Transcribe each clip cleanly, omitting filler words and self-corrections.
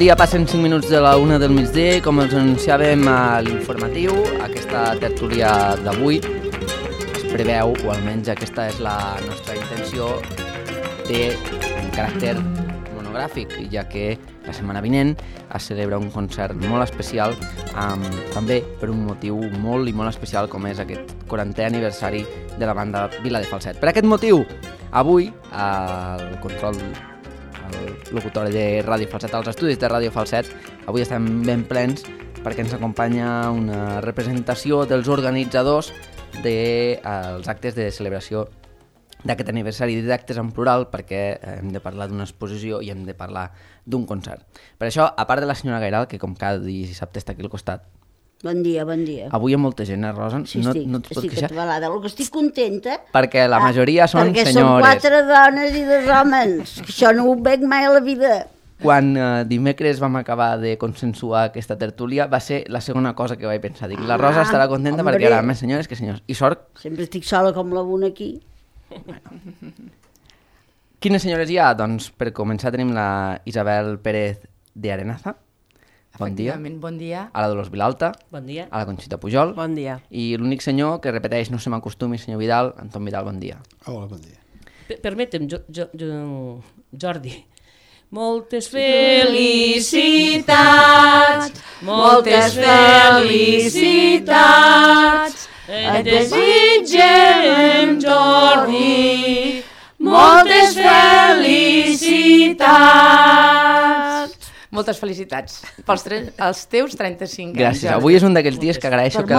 dia, passen 5 minuts de la 1 del migdia, com els anunciàvem a l'informatiu, aquesta tertúlia d'avui es preveu, o almenys aquesta és la nostra intenció, té un caràcter monogràfic, ja que la setmana vinent es celebra un concert molt especial, també per un motiu molt i molt especial com és aquest 40è aniversari de la banda Vila de Falset. Per aquest motiu, avui, el control, el locutori de Ràdio Falset, als estudis de Ràdio Falset, avui estem ben plens perquè ens acompanya una representació dels organitzadors dels actes de celebració d'aquest aniversari, d'actes en plural, perquè hem de parlar d'una exposició i hem de parlar d'un concert. Per això, a part de la senyora Gairal, que com cada dissabte està aquí al costat, bon dia, bon dia. Avui hi ha molta gent, Rosa? Sí, no estic atabalada. El que estic contenta... Perquè la majoria són perquè senyores. Perquè són 4 dones i 2 homes. Això no ho veig mai a la vida. Quan dimecres vam acabar de consensuar aquesta tertúlia, va ser la segona cosa que vaig pensar. Dic, la Rosa estarà contenta perquè hi haurà més senyores que senyors. I sort... Sempre estic sola com la una aquí. Bueno. Quines senyores hi ha? Doncs per començar tenim la Isabel Pérez de Arenaza. Bon dia. Bon dia. A la Dolors Vilalta. Bon dia. A la Conxita Pujol. Bon dia. I l'únic senyor que repeteix, no se m'acostumi, senyor Vidal, Anton Vidal, bon dia. Hola, bon dia. Permetem, Jordi. Moltes felicitats, moltes felicitats, et desitgem, Jordi, moltes felicitats. Moltes felicitats pels teus 35 anys. Gràcies. Avui és un d'aquells dies que agraeixo que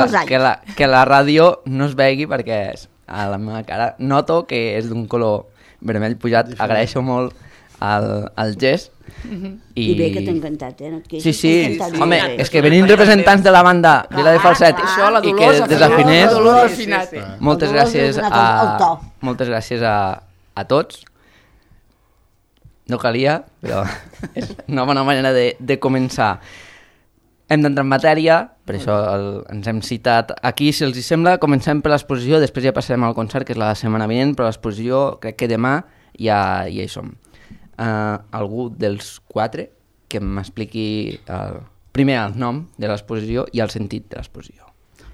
la ràdio no es vegi perquè a la meva cara noto que és d'un color vermell pujat. Agraeixo molt el gest. I bé que t'ha encantat, no et queixis. Sí. Home, és que venint representants de la banda Vila de Falset i que desafinés, moltes gràcies a tots. No calia, però és una bona manera de començar. Hem d'entrar en matèria, per això ens hem citat aquí. Si els sembla, comencem per l'exposició, després ja passarem al concert, que és la setmana vinent, però l'exposició crec que demà ja hi som. Algú dels 4 que m'expliqui primer el nom de l'exposició i el sentit de l'exposició.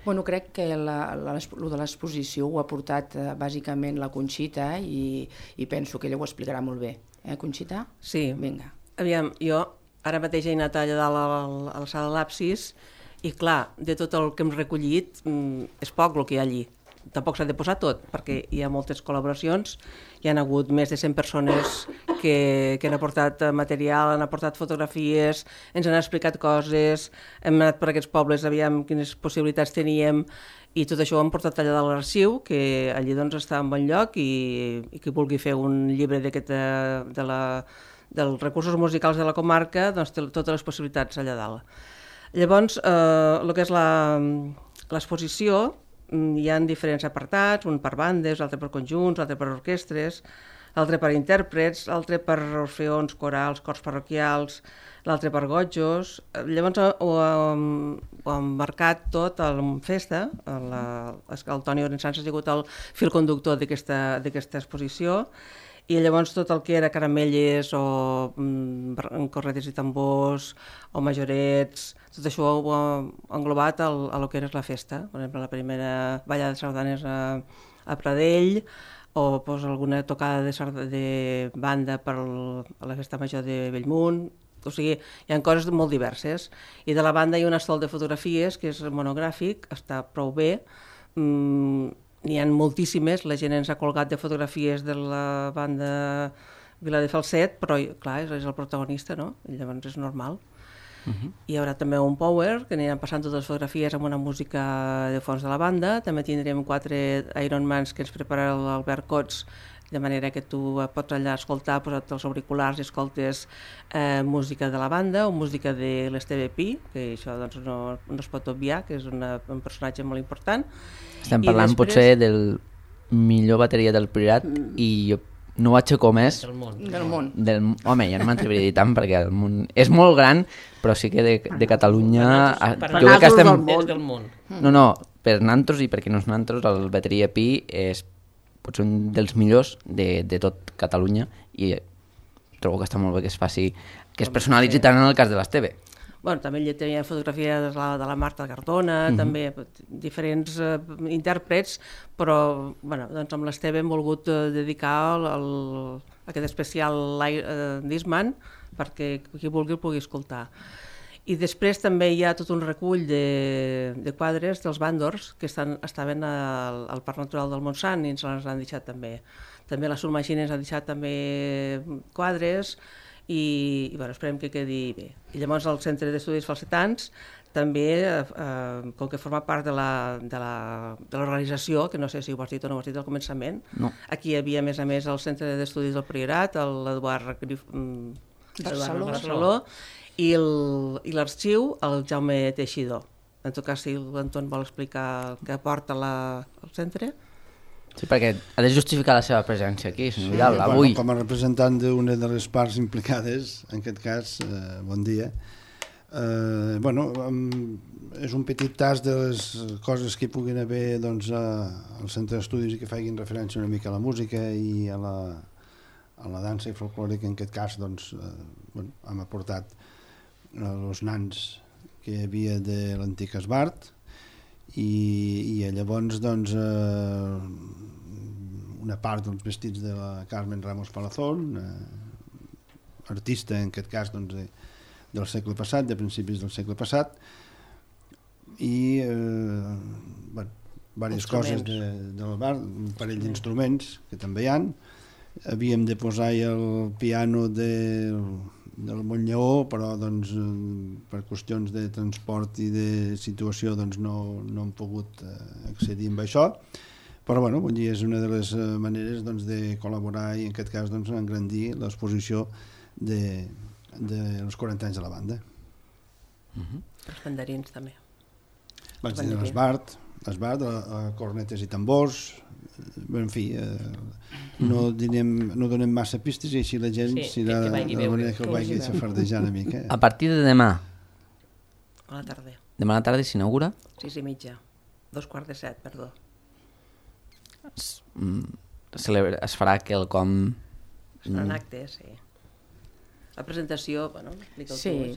Bueno, crec que el de l'exposició ho ha portat bàsicament la Conxita i penso que ella ho explicarà molt bé. Conxita? Sí. Vinga. Aviam, jo ara mateix he anat allà dalt a la sala de l'Apsis i clar, de tot el que hem recollit és poc el que hi ha allí. Tampoc s'ha de posar tot, perquè hi ha moltes col·laboracions, hi ha hagut més de 100 persones que han aportat material, han aportat fotografies, ens han explicat coses, hem anat per aquests pobles, aviam quines possibilitats teníem, i tot això ho hem portat allà de l'arxiu, que allí doncs està en bon lloc, i qui vulgui fer un llibre dels recursos musicals de la comarca, doncs té totes les possibilitats allà dalt. Llavors, el que és l'exposició, hi ha diferents apartats, un per bandes, l'altre per conjunts, l'altre per orquestres, l'altre per intèrprets, l'altre per orfeons, corals, cors parroquials, l'altre per gotjos. Llavors ho hem marcat tot en festa. El Toni Orensans ha sigut el fil conductor d'aquesta exposició, i llavors tot el que era caramelles o corretes i tambors o majorets, tot això ho ha englobat a lo que era la festa. Per exemple, la primera ballada de sardanes a Pradell, o alguna tocada de banda per a la festa major de Bellmunt. O sigui, hi ha coses molt diverses. I de la banda hi ha un estol de fotografies que és monogràfic, està prou bé. N'hi ha moltíssimes, la gent ens ha colgat de fotografies de la banda Vila de Falset, però clar, és el protagonista, no? I llavors és normal. Hi haurà també un power, que aniran passant totes les fotografies amb una música de fons de la banda. També tindrem 4 Ironmans que ens prepararà l'Albert Cots, de manera que tu pots allà escoltar, posar-te els auriculars i escoltes música de la banda o música de l'Esteve Pi, que això doncs, no es pot obviar, que és un personatge molt important. Estem parlant potser del millor bateria del Priorat i jo no ho aixeco més del món. Home, ja no m'atreviria a dir tant perquè el món és molt gran, però sí que de Catalunya jo crec que estem del món. No, per nantros i per qui no és nantros, el bateria Pi és potser un dels millors de tot Catalunya i trobo que està molt bé que es faci, que es personalitzi tant en el cas de l'Esteve. Bueno, també hi tenia fotografia de la Marta Cardona, també diferents intèrprets, però bueno, doncs amb l'Esteve hem volgut dedicar aquest especial d'Eastman perquè qui vulgui el pugui escoltar. I després també hi ha tot un recull de quadres dels bàndors que estaven al Parc Natural del Montsant i ens els han deixat també. També la Surmagina ens ha deixat també quadres i bueno, esperem que quedi bé. I llavors el Centre d'Estudis Falsetans també, com que forma part de l'organització, que no sé si ho has dit o no ho has dit al començament, aquí hi havia a més el Centre d'Estudis del Priorat, l'Eduard Barceló, i l'arxiu, el Jaume Teixidor. En tot cas, si l'Anton vol explicar què aporta el centre. Sí, perquè ha de justificar la seva presència aquí, senyor Vidal, avui. Com a representant d'una de les parts implicades, en aquest cas, bon dia. És un petit tas de les coses que hi puguin haver al centre d'estudis i que facin referència una mica a la música i a la dansa i folclore, que en aquest cas hem aportat els nans que hi havia de l'antic Esbart, i llavors una part dels vestits de la Carmen Ramos Palazón, artista en aquest cas del segle passat, de principis del segle passat, i diverses coses del bar, un parell d'instruments que també hi ha. Havíem de posar el piano del Montllaó, però per qüestions de transport i de situació no hem pogut accedir amb això, però és una de les maneres de col·laborar i en aquest cas engrandir l'exposició dels 40 anys de la banda. Els banderins també. Vaig dir l'Esbart, cornetes i tambors, en fi, no donem massa pistes i així la gent serà de manera que el vagi xafardejar una mica. A partir de demà? A la tarda. Demà a la tarda s'inaugura? 6:30, 6:45, perdó. Es farà quelcom... Es faran actes, sí. La presentació, explica-ho tu. Sí,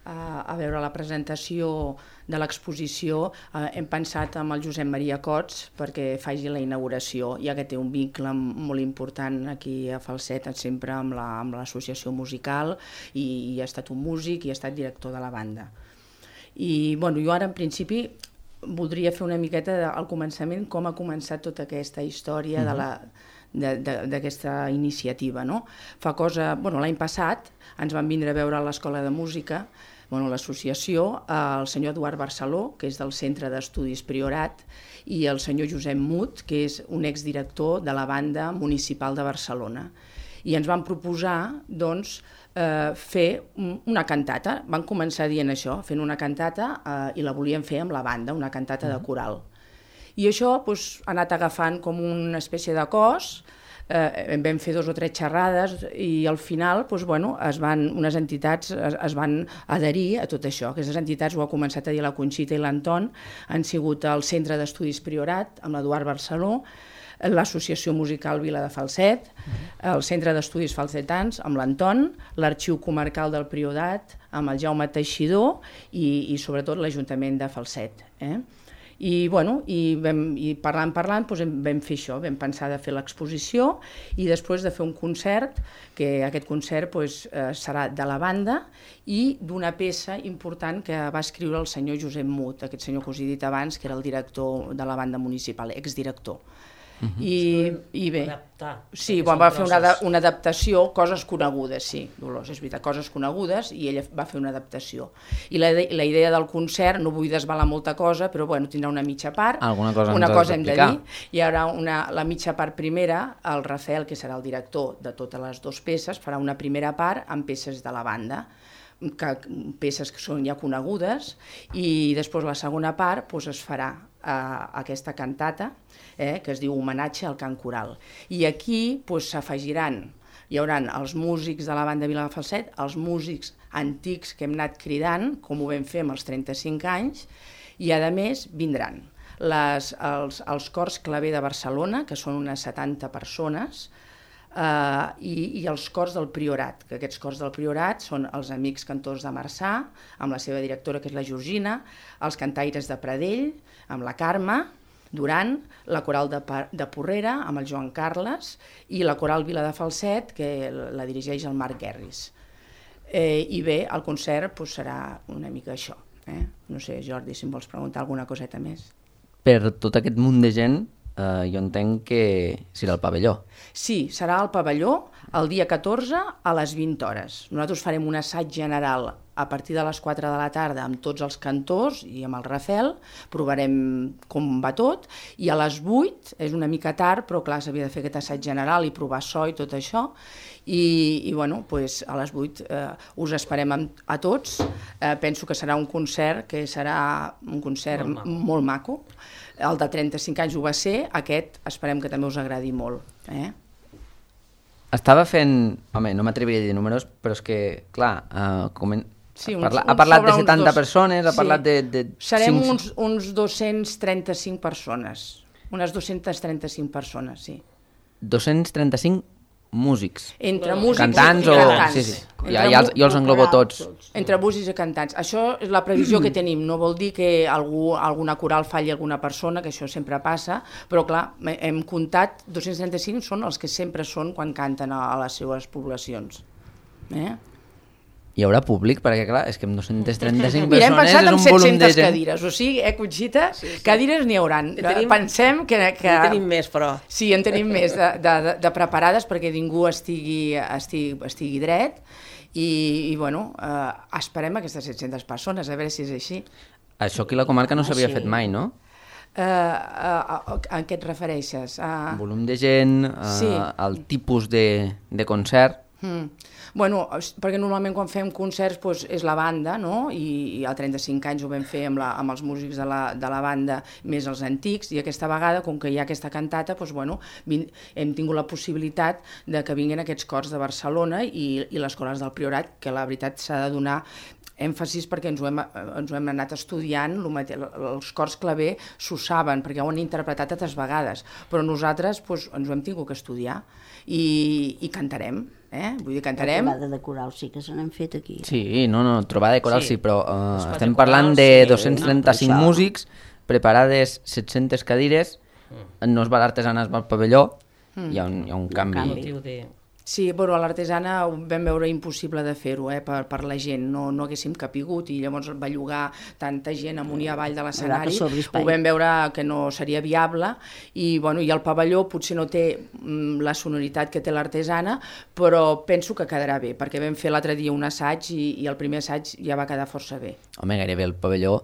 a veure, la presentació de l'exposició hem pensat amb el Josep Maria Cots perquè faci la inauguració, ja que té un vincle molt important aquí a Falset, sempre amb l'associació musical, i ha estat un músic i ha estat director de la banda. I jo ara en principi voldria fer una miqueta al començament com ha començat tota aquesta història d'aquesta iniciativa. L'any passat ens van vindre a veure a l'Escola de Música, l'associació, el senyor Eduard Barceló, que és del Centre d'Estudis Priorat, i el senyor Josep Mut, que és un exdirector de la Banda Municipal de Barcelona. I ens van proposar, fer una cantata. Van començar dient això, fent una cantata, i la volien fer amb la banda, una cantata de coral. I això ha anat agafant com una espècie de cos. Vam fer 2 o 3 xerrades i al final unes entitats es van adherir a tot això. Aquestes entitats, ho ha començat a dir la Conxita i l'Anton, han sigut el Centre d'Estudis Priorat, amb l'Eduard Barceló, l'Associació Musical Vila de Falset, el Centre d'Estudis Falsetans, amb l'Anton, l'Arxiu Comarcal del Priorat, amb el Jaume Teixidor i sobretot l'Ajuntament de Falset. I parlant vam fer això, vam pensar de fer l'exposició i després de fer un concert, que aquest concert serà de la banda i d'una peça important que va escriure el senyor Josep Mut, aquest senyor que us he dit abans, que era el director de la banda municipal, exdirector. I bé, sí, va fer una adaptació, coses conegudes, sí, Dolors, és veritat, coses conegudes, i ella va fer una adaptació. I la idea del concert, no vull desvelar molta cosa, però tindrà una mitja part, una cosa hem de dir, hi haurà la mitja part primera, el Rafael, que serà el director de totes les 2 peces, farà una primera part amb peces de la banda, peces que són ja conegudes, i després la segona part es farà aquesta cantata, que es diu Homenatge al cant coral. I aquí s'afegiran, hi haurà els músics de la banda Vila de Falset, els músics antics que hem anat cridant, com ho vam fer amb els 35 anys, i a més vindran els cors claver de Barcelona, que són unes 70 persones, i els cors del Priorat, que aquests cors del Priorat són els Amics Cantors de Marçà, amb la seva directora, que és la Georgina, els Cantaires de Pradell, amb la Carme Duran, la Coral de Porrera, amb el Joan Carles, i la Coral Vila de Falset, que la dirigeix el Marc Guerris. I bé, el concert serà una mica això. No sé, Jordi, si em vols preguntar alguna coseta més. Per tot aquest munt de gent, jo entenc que serà al pavelló. Sí, serà al pavelló el dia 14 a les 20 hores. Nosaltres farem un assaig general a partir de les 4 de la tarda amb tots els cantors i amb el Rafel, provarem com va tot, i a les 8, és una mica tard, però clar, s'havia de fer aquest assaig general i provar so i tot això, i bueno, a les 8 us esperem a tots. Penso que serà un concert que serà un concert molt maco. El de 35 anys ho va ser, aquest esperem que també us agradi molt. Estava fent... Home, no m'atreviria a dir números, però és que, clar, sí, ha parlat de 70 persones, ha parlat de... Serem uns 235 persones, unes 235 persones, sí. 235 músics. Entre músics cantants i cantants. Sí. Jo els englobo tots. Entre músics i cantants. Això és la previsió que tenim. No vol dir que alguna coral falli alguna persona, que això sempre passa, però clar, hem comptat 235 són els que sempre són quan canten a les seues poblacions. Hi haurà públic? Perquè clar, és que amb 235 Mira, hem persones pensat és en un volum de 700 gent. cadires, o sigui, Conxita, cadires n'hi hauran. Pensem que... En tenim més, però... Sí, en tenim més de preparades perquè ningú estigui dret i bueno, esperem aquestes 700 persones, a veure si és així. Això aquí a la comarca no s'havia fet mai, no? A què et refereixes? Volum de gent, el tipus de concert... Bueno, perquè normalment quan fem concerts és la banda, no? I a 35 anys ho vam fer amb els músics de la banda més els antics, i aquesta vegada, com que hi ha aquesta cantata, hem tingut la possibilitat de que vinguin aquests cors de Barcelona i les corals del Priorat, que la veritat s'ha de donar èmfasis perquè ens ho hem anat estudiant, els cors claver s'ho saben, perquè ho han interpretat altres vegades, però nosaltres ens ho hem tingut que estudiar i cantarem. Vull dir, cantarem... La trobada de coral sí que se n'han fet aquí. Sí, trobada de coral sí, però estem parlant de 235 músics, preparades 700 cadires, no es va l'artesana, es va al pavelló, hi ha un canvi. Sí, però a l'Artesana ho vam veure impossible de fer-ho per la gent, no haguéssim capigut, i llavors va llogar tanta gent amunt i avall de l'escenari, ho vam veure que no seria viable, i el pavelló potser no té la sonoritat que té l'Artesana, però penso que quedarà bé, perquè vam fer l'altre dia un assaig i el primer assaig ja va quedar força bé. Home, gairebé el pavelló,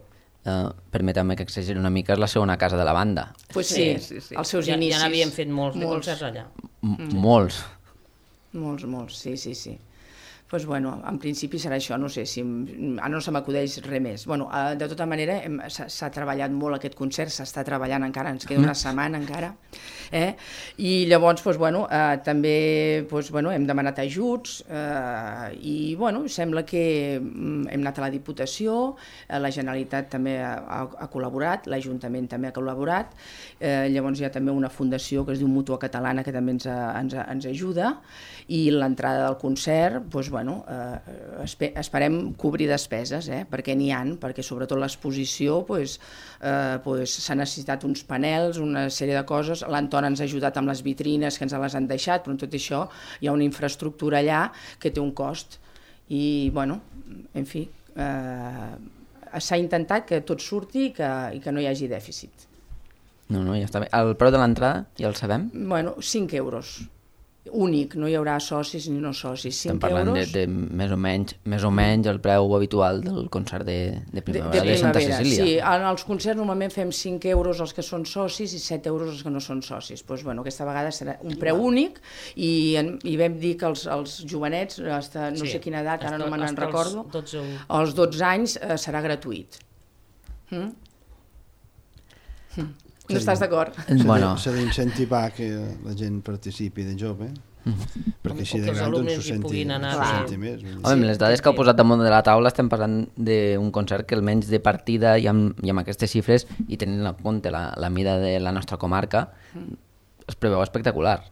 permeteu-me que exageri una mica, és la segona casa de la banda. Pues sí, els seus inicis. Ja n'havíem fet molts de concerts allà. Molts. Molts, sí. Doncs en principi serà això, no sé si... Ara no se m'acudeix res més. De tota manera, s'ha treballat molt aquest concert, s'està treballant encara, ens queda una setmana encara. I llavors, també hem demanat ajuts i, sembla que hem anat a la Diputació, la Generalitat també ha col·laborat, l'Ajuntament també ha col·laborat, llavors hi ha també una fundació que es diu Mútua Catalana que també ens ajuda, i l'entrada del concert, esperem cobrir despeses, perquè n'hi ha, perquè sobretot l'exposició s'ha necessitat uns panels, una sèrie de coses, l'Anton ens ha ajudat amb les vitrines que ens les han deixat, però en tot això hi ha una infraestructura allà que té un cost i, en fi, s'ha intentat que tot surti i que no hi hagi dèficit. No, ja està bé. El preu de l'entrada ja el sabem? 5 euros. Únic, no hi haurà socis ni no socis. Estem parlant de més o menys el preu habitual del concert de primavera de Santa Cecília. Sí, en els concerts normalment fem 5 euros els que són socis i 7 euros els que no són socis. Aquesta vegada serà un preu únic i vam dir que els jovenets, no sé quina edat, ara no me'n recordo, als 12 anys serà gratuït. No estàs d'acord? S'ha d'incentivar que la gent participi de jove, perquè així de gran s'ho senti més. Amb les dades que heu posat damunt de la taula estem parlant d'un concert que almenys de partida i amb aquestes xifres i tenint en compte la mida de la nostra comarca es preveu espectacular.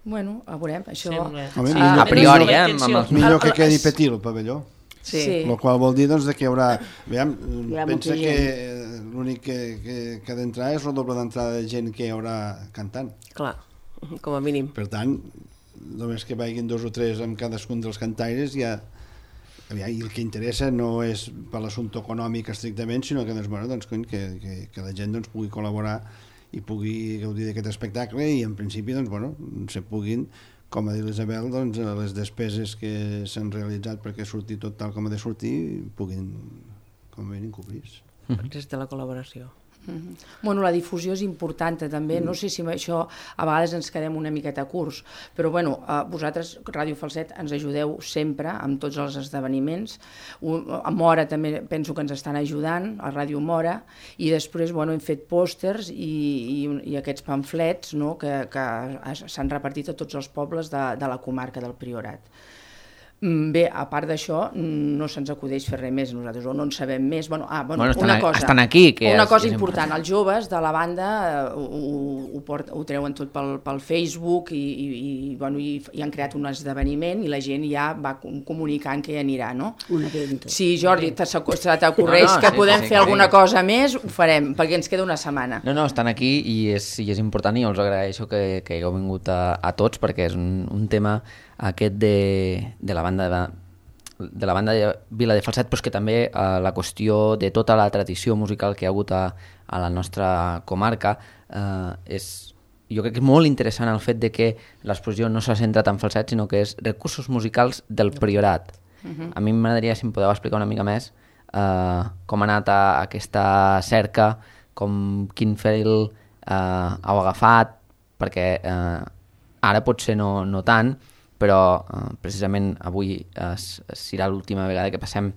Bueno, a veurem, això... A priori, amb els... Millor que quedi petit el pavelló. Sí. El qual vol dir doncs, que hi haurà... Veiem, Hi ha pensa molta que l'únic que ha d'entrar és el doble d'entrada de gent que hi haurà cantant. Clar, com a mínim. Per tant, només que vagin 2 o 3 amb cadascun dels cantaires ja... I el que interessa no és per l'assumpte econòmic estrictament, sinó que, doncs, bueno, doncs, que la gent doncs, pugui col·laborar i pugui gaudir d'aquest espectacle i en principi doncs, bueno, se puguin, com ha dit l'Isabel, doncs, les despeses que s'han realitzat perquè surti tot tal com ha de sortir puguin, com a mínim, cobrir-se. Des de la col·laboració. Bueno, la difusió és important també, no sé si amb això a vegades ens quedem una miqueta curts, però bueno, vosaltres, Ràdio Falset, ens ajudeu sempre amb tots els esdeveniments. A Mora també penso que ens estan ajudant, a Ràdio Mora, i després bueno, hem fet pòsters i aquests pamflets, no?, que s'han repartit a tots els pobles de la comarca del Priorat. Bé, a part d'això, no se'ns acudeix fer res més nosaltres, o no en sabem més. Bueno, una cosa, estan aquí. Una cosa important, els joves de la banda ho treuen tot pel Facebook i han creat un esdeveniment i la gent ja va comunicant que hi anirà, no? Una venda. Si, Jordi, t'ocorreix que podem fer alguna cosa més, ho farem, perquè ens queda una setmana. No, estan aquí i és important i us agraeixo que hagueu vingut a tots perquè és un tema aquest de la banda de Vila de Falset, però és que també la qüestió de tota la tradició musical que hi ha hagut a la nostra comarca jo crec que és molt interessant el fet de que l'exposició no s'ha centrat en Falset, sinó que és recursos musicals del Priorat. A mi m'agradaria, si em podeu explicar una mica més com ha anat aquesta cerca, quin fil heu agafat, perquè ara potser no tant, però precisament avui serà l'última vegada que passem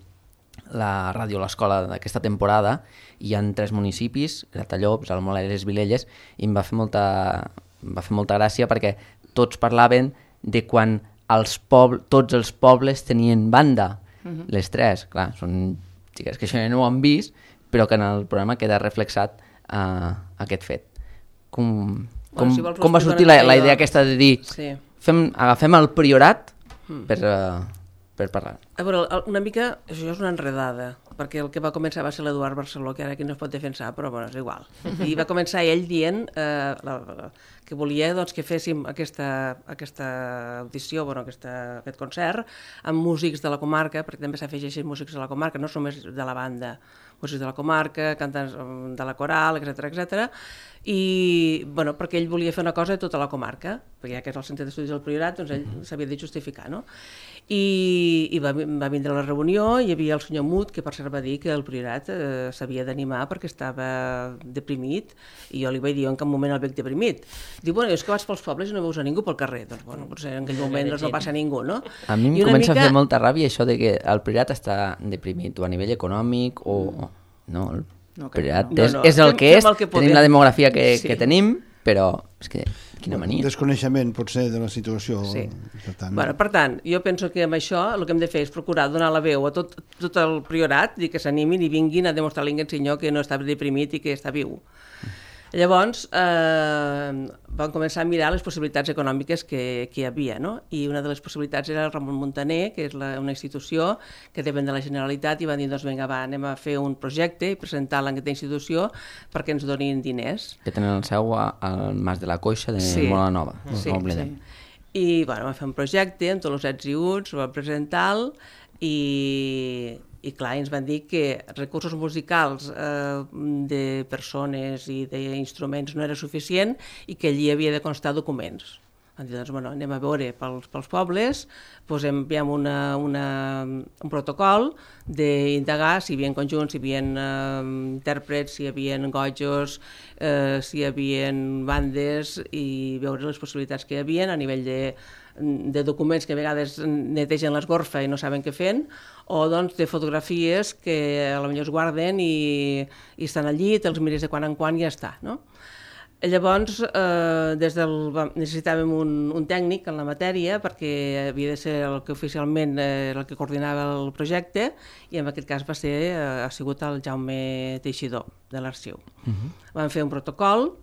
la ràdio a l'escola d'aquesta temporada i hi ha 3 municipis, Gratallops, Almoladers, Vilelles, i em va fer molta gràcia perquè tots parlaven de quan tots els pobles tenien banda, les 3, clar, són xiques que això no ho han vist, però que en el programa queda reflexat aquest fet. Com va sortir la idea aquesta de dir agafem el Priorat per parlar? A veure, una mica, això és una enredada, perquè el que va començar va ser l'Eduard Barceló, que ara aquí no es pot defensar, però bueno, és igual. I va començar ell dient que volia doncs, que féssim aquesta audició, aquest concert, amb músics de la comarca, perquè també s'afegeixen músics de la comarca, no només de la banda, músics de la comarca, cantants de la coral, etc. I perquè ell volia fer una cosa de tota la comarca, perquè ja que és el centre d'estudis del Priorat, doncs ell s'havia de justificar, no? I va vindre a la reunió, hi havia el senyor Mut, que per cert va dir que el Priorat s'havia d'animar perquè estava deprimit, i jo li vaig dir, en cap moment el veig deprimit. Diu, bueno, és que vas pels pobles i no veus a ningú pel carrer, doncs bueno, potser en aquell moment no passa ningú, no? A mi em comença a fer molta ràbia això de que el Priorat està deprimit, o a nivell econòmic, o... No, el Priorat és el que és, tenim la demografia que tenim, però és que quina mania. Desconeixement potser de la situació. Sí. Per tant, jo penso que amb això el que hem de fer és procurar donar la veu a tot el Priorat i que s'animin i vinguin a demostrar a l'Ingensinyó que no està deprimit i que està viu. Llavors vam començar a mirar les possibilitats econòmiques que hi havia, no? I una de les possibilitats era el Ramon Muntaner, que és una institució que depèn de la Generalitat, i van dir, doncs vinga, anem a fer un projecte i presentar-la en aquesta institució perquè ens donin diners. Que tenen el seu al Mas de la Coixa de Mola Nova. Sí. I vam fer un projecte amb tots els ets i uts, ho vam presentar-lo i clar, ens van dir que recursos musicals de persones i d'instruments no era suficient i que allí havia de constar documents. Van dir, doncs, anem a veure pels pobles, enviem un protocol d'indagar si hi havia conjunts, si hi havia intèrprets, si hi havia gojos, si hi havia bandes, i veure les possibilitats que hi havia a nivell de documents que a vegades netegen l'esgorfa i no saben què fent, o doncs de fotografies que potser es guarden i estan allí, te'ls mires de quan en quan i ja està, no? Llavors, necessitàvem un tècnic en la matèria perquè havia de ser el que oficialment el que coordinava el projecte, i en aquest cas ha sigut el Jaume Teixidor de l'Arxiu. Vam fer un protocol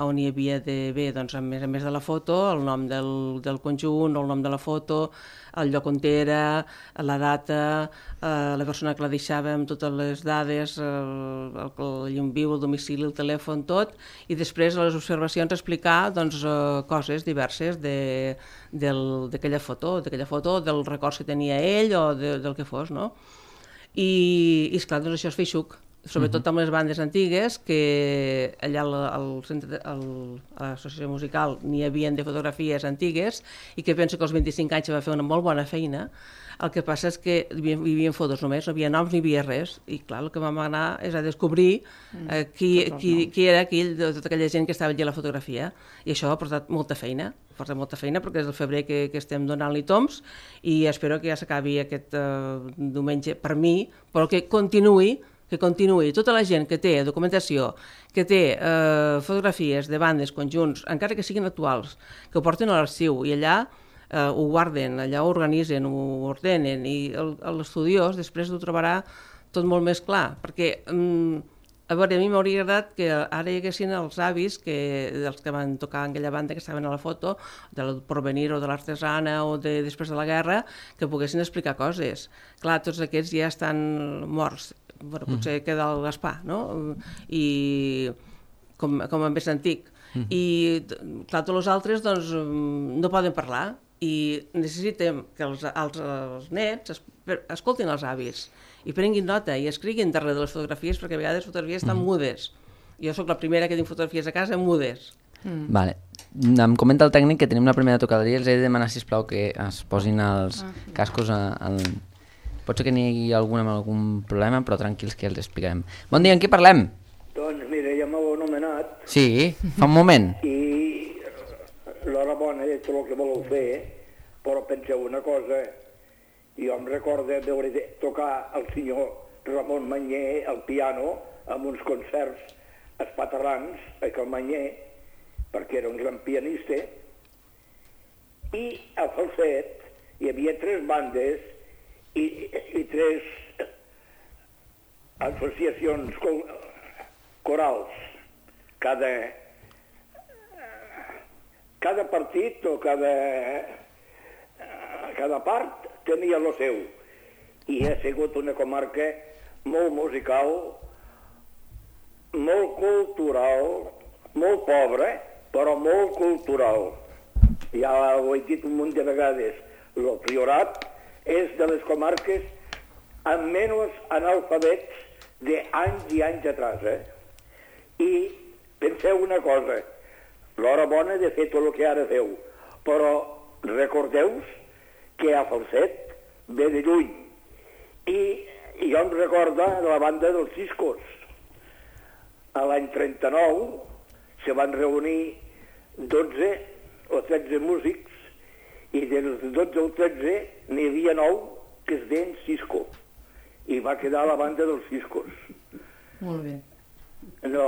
on hi havia d'haver, doncs, a més de la foto, el nom del conjunt, el nom de la foto, el lloc on era, la data, la persona que la deixava amb totes les dades, el llum viu, el domicili, el telèfon, tot, i després a les observacions explicar doncs, coses diverses d'aquella foto, del records que tenia ell o del que fos, no? I esclar, doncs això és feixuc, sobretot amb les bandes antigues, que allà a l'associació musical n'hi havia de fotografies antigues i que penso que als 25 anys va fer una molt bona feina. El que passa és que hi havia fotos només, no havia noms ni havia res, i clar, el que vam anar és a descobrir qui era aquell, de tota aquella gent que estava allà a la fotografia, i això ha portat molta feina, perquè és el febrer que estem donant-li toms, i espero que ja s'acabi aquest diumenge per mi, però que continuï tota la gent que té documentació, que té fotografies de bandes, conjunts, encara que siguin actuals, que ho porten a l'arxiu i allà ho guarden, allà ho organitzen, ho ordenen, i l'estudiós després ho trobarà tot molt més clar, perquè a veure, a mi m'hauria agradat que ara hi haguessin els avis dels que van tocar en aquella banda que estaven a la foto, del Porvenir o de l'Artesana o després de la guerra, que poguessin explicar coses. Clar, tots aquests ja estan morts. Bueno, potser queda el Gaspar, no? I com a més antic. I clar, tots els altres doncs, no poden parlar i necessitem que els nets escoltin els avis i prenguin nota i escriguin darrere de les fotografies, perquè a vegades les fotografies estan mudes. Jo sóc la primera que tinc fotografies a casa mudes. Vale. Em comenta el tècnic que tenim la primera tocaderia, els he de demanar, sisplau, que es posin els cascos Pot ser que n'hi hagi algun amb algun problema, però tranquils que els explicarem. Bon dia, en què parlem? Doncs mira, ja m'heu anomenat. Sí, fa un moment. I l'hora bona de tot el que voleu fer, però penseu una cosa. Jo em recordo veure tocar el senyor Ramon Manyer al piano amb uns concerts espaterrans a Cal Manyer, perquè era un gran pianista, i a falset hi havia 3 bandes i 3 associacions corals. Cada partit o cada part tenia el seu. I ha sigut una comarca molt musical, molt cultural, molt pobra, però molt cultural. Ja ho he dit un munt de vegades, el Priorat és de les comarques amb menys analfabets d'anys i anys atrás. I penseu una cosa, l'hora bona de fer tot el que ara feu, però recordeu que a Falset ve de lluny. I jo em recordo de la banda dels Ciscos. A l'any 39 se van reunir 12 o 13 músics i dels 12 o 13 n'hi havia 9 que es deien Cisco. I va quedar la banda dels Ciscos. Molt bé. No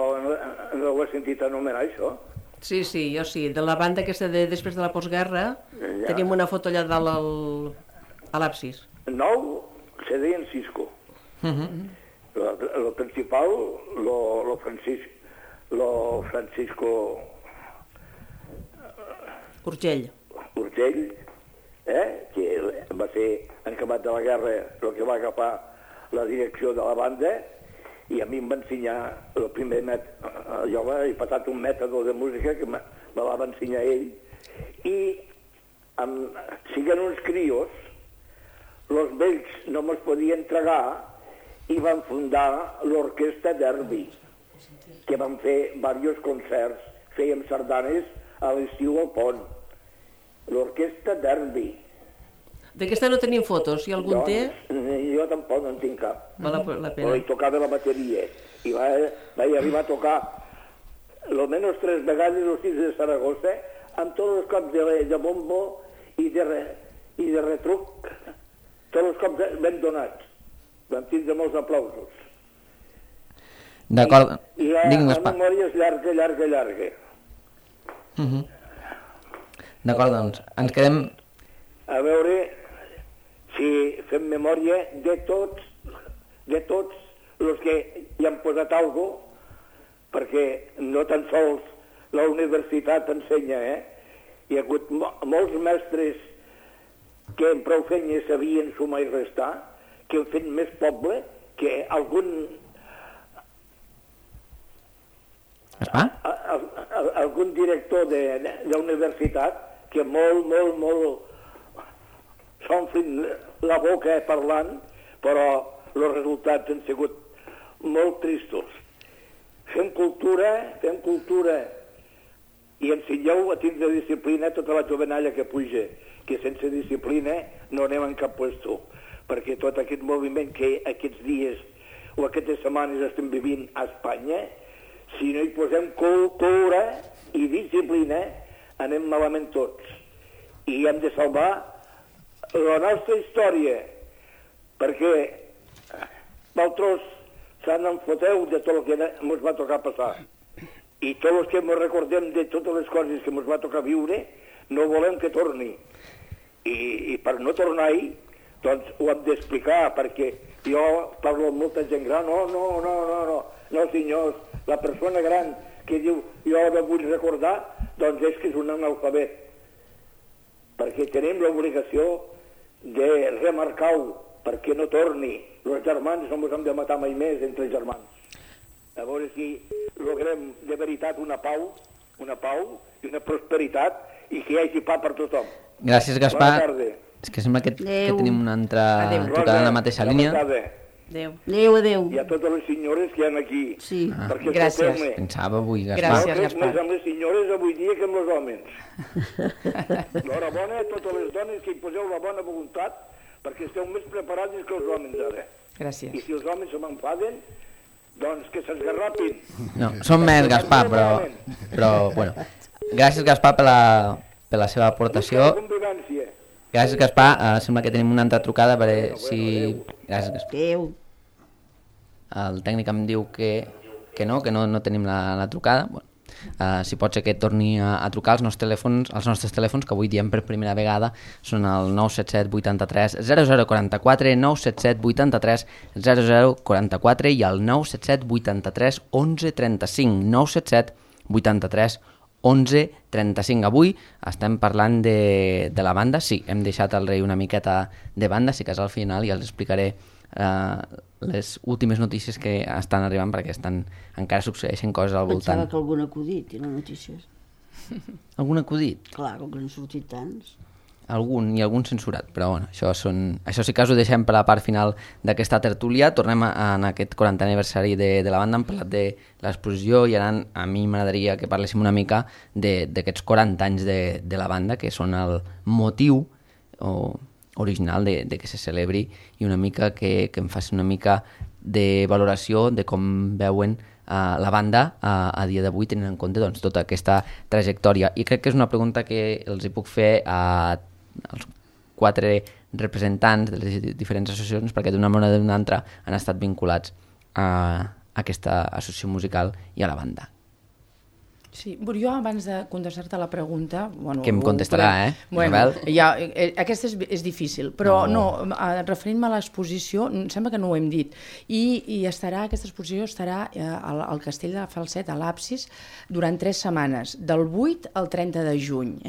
ho he sentit anomenar, això? Sí, jo sí. De la banda aquesta després de la postguerra, tenim una foto allà dalt a l'absis. 9 se deien Cisco. El principal, lo Francisco Urgell, que va ser encamat de la guerra el que va agafar la direcció de la banda, i a mi em va ensenyar el primer jo he passat un mètode de música que me la va ensenyar ell, i siguent uns crios, els vells no me'ls podien tragar i van fundar l'Orquestra Derby, que van fer diversos concerts, fèiem sardanes a l'estiu al pont. L'Orquestra Derby. D'aquesta no tenim fotos, si algun té? Jo tampoc no en tinc cap. Val la pena. Però hi tocava la bateria. I vaig arribar a tocar almenys 3 vegades els 6 de Saragossa, amb tots els cops de bombo i de retruc, tots els cops ben donats. Vam tindre molts aplausos. D'acord. I la memòria és llarga. D'acord, doncs, ens quedem... A veure si fem memòria de tots els que hi han posat alguna cosa, perquè no tan sols la universitat ensenya, Hi ha hagut molts mestres que amb prou feina sabien sumar i restar, que han fet més poble que algun director d'universitat que molt s'omplin la boca parlant, però els resultats han sigut molt tristos. Fem cultura i ensenyeu a tindre disciplina tota la jovenalla que puja, que sense disciplina no anem en cap puesto, perquè tot aquest moviment que aquests dies o aquestes setmanes estem vivint a Espanya, si no hi posem cultura i disciplina, anem malament tots. I hem de salvar la nostra història, perquè vosaltres se'n enfoteu de tot el que ens va tocar passar. I tots els que ens recordem de totes les coses que ens va tocar viure, no volem que torni. I per no tornar-hi, doncs ho hem d'explicar, perquè jo parlo amb molta gent gran, no senyors, la persona gran que diu jo no vull recordar, doncs és que és un analfabet. Perquè tenim l'obligació de remarcar-ho, perquè no torni. Els germans no ens hem de matar mai més entre germans. A veure si logrem de veritat una pau i una prosperitat i que hi hagi pa per tothom. Gràcies, Gaspar. Bona tarda. És que sembla que tenim una altra trucada en la mateixa línia. Adéu. I a totes les senyores que hi ha aquí. Sí. Gràcies. Pensava avui, Gaspar. Gràcies, Gaspar. Més amb les senyores avui dia que amb els homes. L'horabona a totes les dones que hi poseu la bona voluntat, perquè esteu més preparats que els homes ara. Gràcies. I si els homes se m'enfaden, doncs que s'esgarrapin. No, som més, Gaspar, però bueno. Gràcies, Gaspar, per la seva aportació. Gràcies, Gaspar. Sembla que tenim una altra trucada, a veure si... Gràcies, Gaspar. Adéu. El tècnic em diu que no tenim la trucada. Bueno, si pot ser que torni a trucar els nostres telèfons, que avui diem per primera vegada, són el 977 83 0044, 977 83 0044 i el 977 83 11 35, 977 83 11 35. Avui estem parlant de la banda. Sí, hem deixat el rei una miqueta de banda, sí que és al final i els explicaré les últimes notícies que estan arribant, perquè encara succeeixen coses al voltant. Pensava que algun acudit i no notícies. Algun acudit? Clar, com que n'han sortit tants. Algun censurat, però bueno, això sí que us ho deixem per la part final d'aquesta tertúlia. Tornem en aquest 40 aniversari de la banda. Hem parlat de l'exposició i ara a mi m'agradaria que parléssim una mica d'aquests 40 anys de la banda, que són el motiu original de que se celebri, i una mica que em faci una mica de valoració de com veuen la banda a dia d'avui, tenint en compte doncs, tota aquesta trajectòria. I crec que és una pregunta que els hi puc fer als 4 representants de les diferents associacions, perquè d'una manera o d'una altra han estat vinculats a aquesta associació musical i a la banda. Sí, jo abans de contestar-te la pregunta... Bueno, que em contestarà, Bueno, aquesta és difícil, però referint-me a l'exposició, em sembla que no ho hem dit, i aquesta exposició estarà al Castell de Falset, a l'Absis, durant 3 setmanes, del 8 al 30 de juny.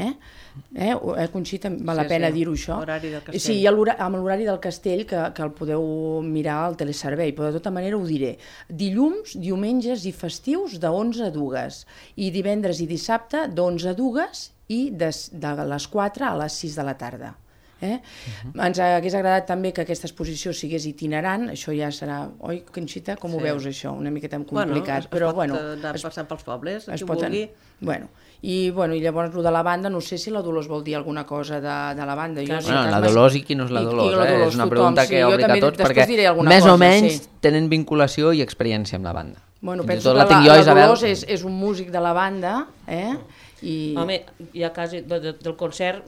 Conxita, val la pena dir-ho, això? Horari del castell. Sí, amb l'horari del castell, que el podeu mirar al teleservei, però de tota manera ho diré. Dilluns, diumenges i festius de 11 a 2, i divendres i dissabte d'11 a 2 i de les 4 a les 6 de la tarda. Ens hagués agradat també que aquesta exposició sigués itinerant, això ja serà... Oi, Conxita, com ho veus això? Una miqueta complicat. Es pot anar passant pels pobles, qui vulgui. I llavors el de la banda, no sé si la Dolors vol dir alguna cosa de la banda. La Dolors i qui no és la Dolors, és una pregunta que obliga a tots, perquè més o menys tenen vinculació i experiència amb la banda. Penso que la Dolors és un músic de la banda. Home, ja quasi del concert,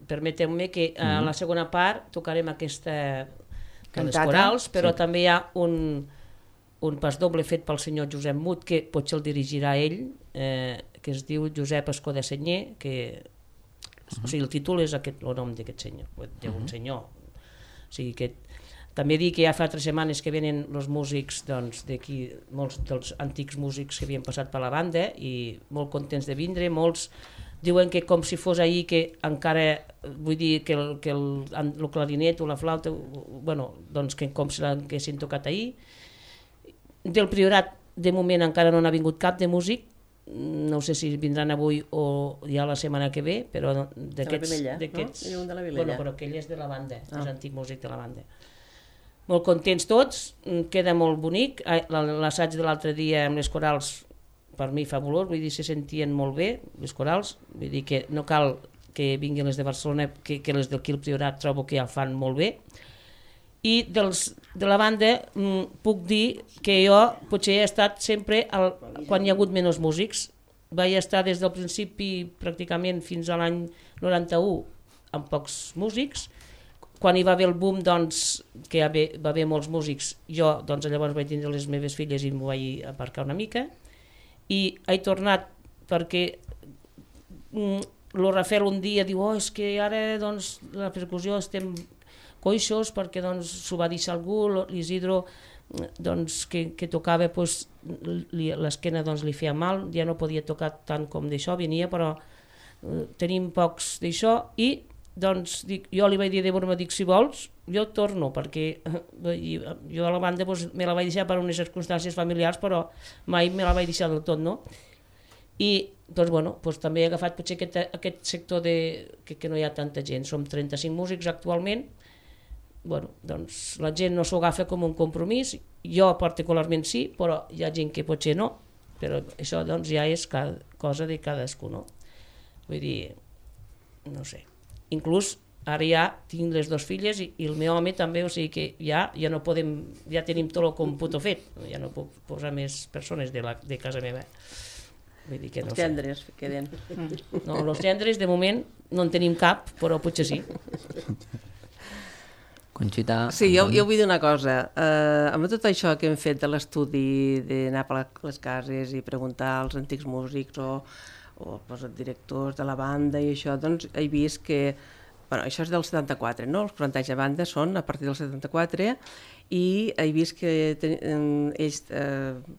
permeteu-me que a la segona part tocarem aquesta de les corals, però també hi ha un pas doble fet pel senyor Josep Mut, que potser el dirigirà ell, que es diu Josep Escó de Senyer, o sigui, el títol és el nom d'aquest senyor, d'un senyor. O sigui, que També dic que ja fa 3 setmanes que venen els músics d'aquí, molts dels antics músics que havien passat per la banda i molt contents de vindre, molts diuen que com si fos ahir que encara, vull dir que el clarinet o la flauta, bueno, doncs que com si l'haguessin tocat ahir. Del Priorat de moment encara no n'ha vingut cap de músic, no sé si vindran avui o ja la setmana que ve, però d'aquests... De la Vilella, no? Un de la Vilella. Bueno, però aquell és de la banda, és antic músic de la banda. Molt contents tots, queda molt bonic, l'assaig de l'altre dia amb les corals per mi fabulós, vull dir, se sentien molt bé les corals, vull dir que no cal que vinguin les de Barcelona, que les d'aquí al Priorat trobo que ja el fan molt bé. I de la banda puc dir que jo potser he estat sempre quan hi ha hagut menys músics, vaig estar des del principi pràcticament fins a l'any 91 amb pocs músics. Quan hi va haver el boom, doncs, que va haver molts músics, jo llavors vaig tindre les meves filles i m'ho vaig aparcar una mica, i he tornat perquè el Rafael un dia diu és que ara la percussió estem coixos perquè s'ho va deixar algú, l'Isidro que tocava l'esquena li feia mal, ja no podia tocar tant com d'això, venia, però tenim pocs d'això i jo li vaig dir de broma, si vols, jo torno, perquè jo a la banda me la vaig deixar per unes circumstàncies familiars, però mai me la vaig deixar del tot, no? I també he agafat potser aquest sector que no hi ha tanta gent, som 35 músics actualment, la gent no s'ho agafa com un compromís, jo particularment sí, però hi ha gent que potser no, però això ja és cosa de cadascú, no? Vull dir, no sé. Inclús ara ja tinc les 2 filles i el meu home també, o sigui que ja no podem, ja tenim tot el còmputo fet, ja no puc posar més persones de casa meva. Vull dir que no sé. Els tendres queden. No, els tendres de moment no en tenim cap, però potser sí. Conxita... Sí, jo vull dir una cosa. Amb tot això que hem fet de l'estudi, d'anar per les cases i preguntar als antics músics o els directors de la banda i això, doncs he vist que, això és del 74, no? Els 40 anys de banda són a partir del 74 i he vist que ells,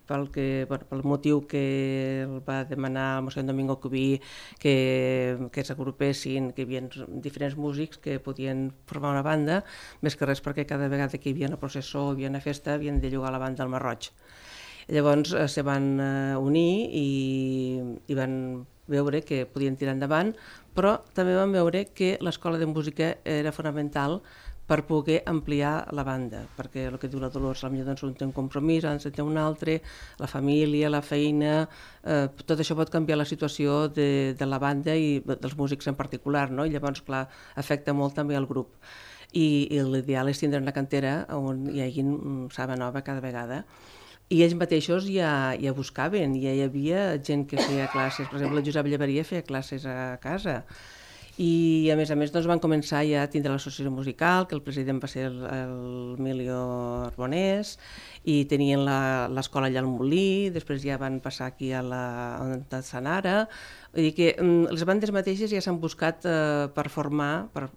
pel motiu que el va demanar el Mossèn Domingo Cubí que s'agrupessin, que hi havia diferents músics que podien formar una banda, més que res perquè cada vegada que hi havia una processó o hi havia una festa havien de llogar la banda al Marroig. Llavors se van unir i van veure que podien tirar endavant, però també van veure que l'escola de música era fonamental per poder ampliar la banda, perquè el que diu la Dolors, potser un té un compromís, han de tenir un altre, la família, la feina, tot això pot canviar la situació de la banda i dels músics en particular, no? I llavors, clar, afecta molt també al grup. I l'ideal és tindre una cantera on hi hagi saba nova cada vegada. I ells mateixos ja buscaven, ja hi havia gent que feia classes, per exemple el Josep Llevaria feia classes a casa, i a més van començar ja a tindre l'associació musical, que el president va ser el Emilio Arbonés, i tenien l'escola allà al Molí, després ja van passar aquí on està Sant Ara, vull dir que les bandes mateixes ja s'han buscat per formar per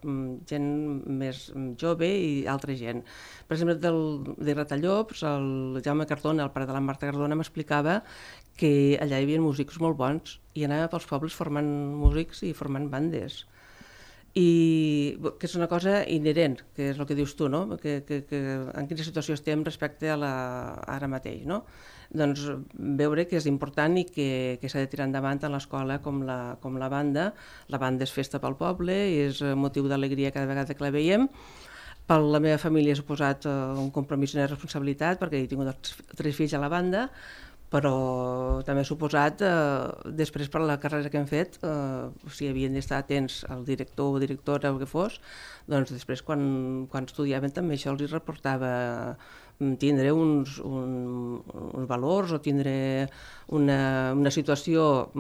gent més jove i altra gent. Per exemple, de Gratallops, el Jaume Cardona, el pare de la Marta Cardona, m'explicava que allà hi havia músics molt bons i anava pels pobles formant músics i formant bandes. I que és una cosa inherent, que és el que dius tu, no? Que en quina situació estem respecte a ara mateix, no? Doncs veure que és important i que s'ha de tirar endavant tant l'escola com la banda. La banda és festa pel poble i és motiu d'alegria cada vegada que la veiem. Per la meva família ha suposat un compromís i una responsabilitat perquè he tingut 3 fills a la banda, però també ha suposat, després per la carrera que hem fet, si havien d'estar atents al director o directora o el que fos, doncs després quan estudiaven també això els reportava tindre uns valors o tindre una situació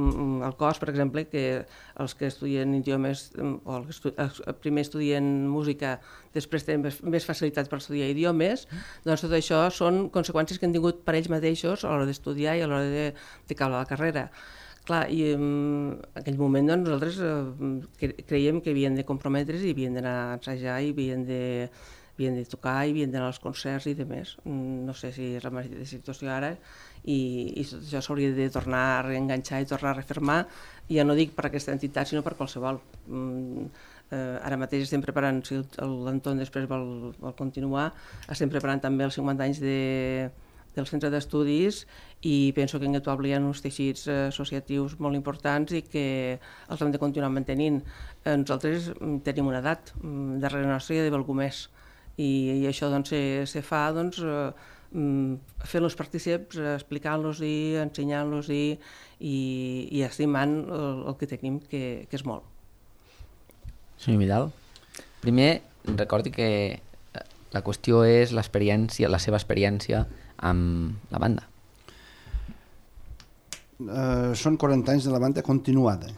al cos, per exemple, que els que estudien idiomes o els que primer estudien música després tenen més facilitat per estudiar idiomes, doncs tot això són conseqüències que han tingut per ells mateixos a l'hora d'estudiar i a l'hora de caure la carrera. Clar, i en aquell moment doncs, nosaltres creiem que havien de comprometre's i havien d'anar a ensajar i havien de havien de tocar i havien d'anar als concerts i demés. No sé si és la mateixa situació ara i tot això s'hauria de tornar a reenganxar i tornar a refermar, ja no dic per aquesta entitat sinó per qualsevol. Ara mateix estem preparant, si l'Anton després vol continuar, estem preparant també els 50 anys del centre d'estudis i penso que en Guetuable hi ha uns teixits associatius molt importants i que els hem de continuar mantenint. Nosaltres tenim una edat, darrere nostra hi ha d'haver algú més i això doncs, se fa fent-los partícips, explicant-los i ensenyant-los i estimant el que tenim, que és molt. Senyor Vidal, primer recordi que la qüestió és l'experiència, la seva experiència amb la banda. Són 40 anys de la banda continuada,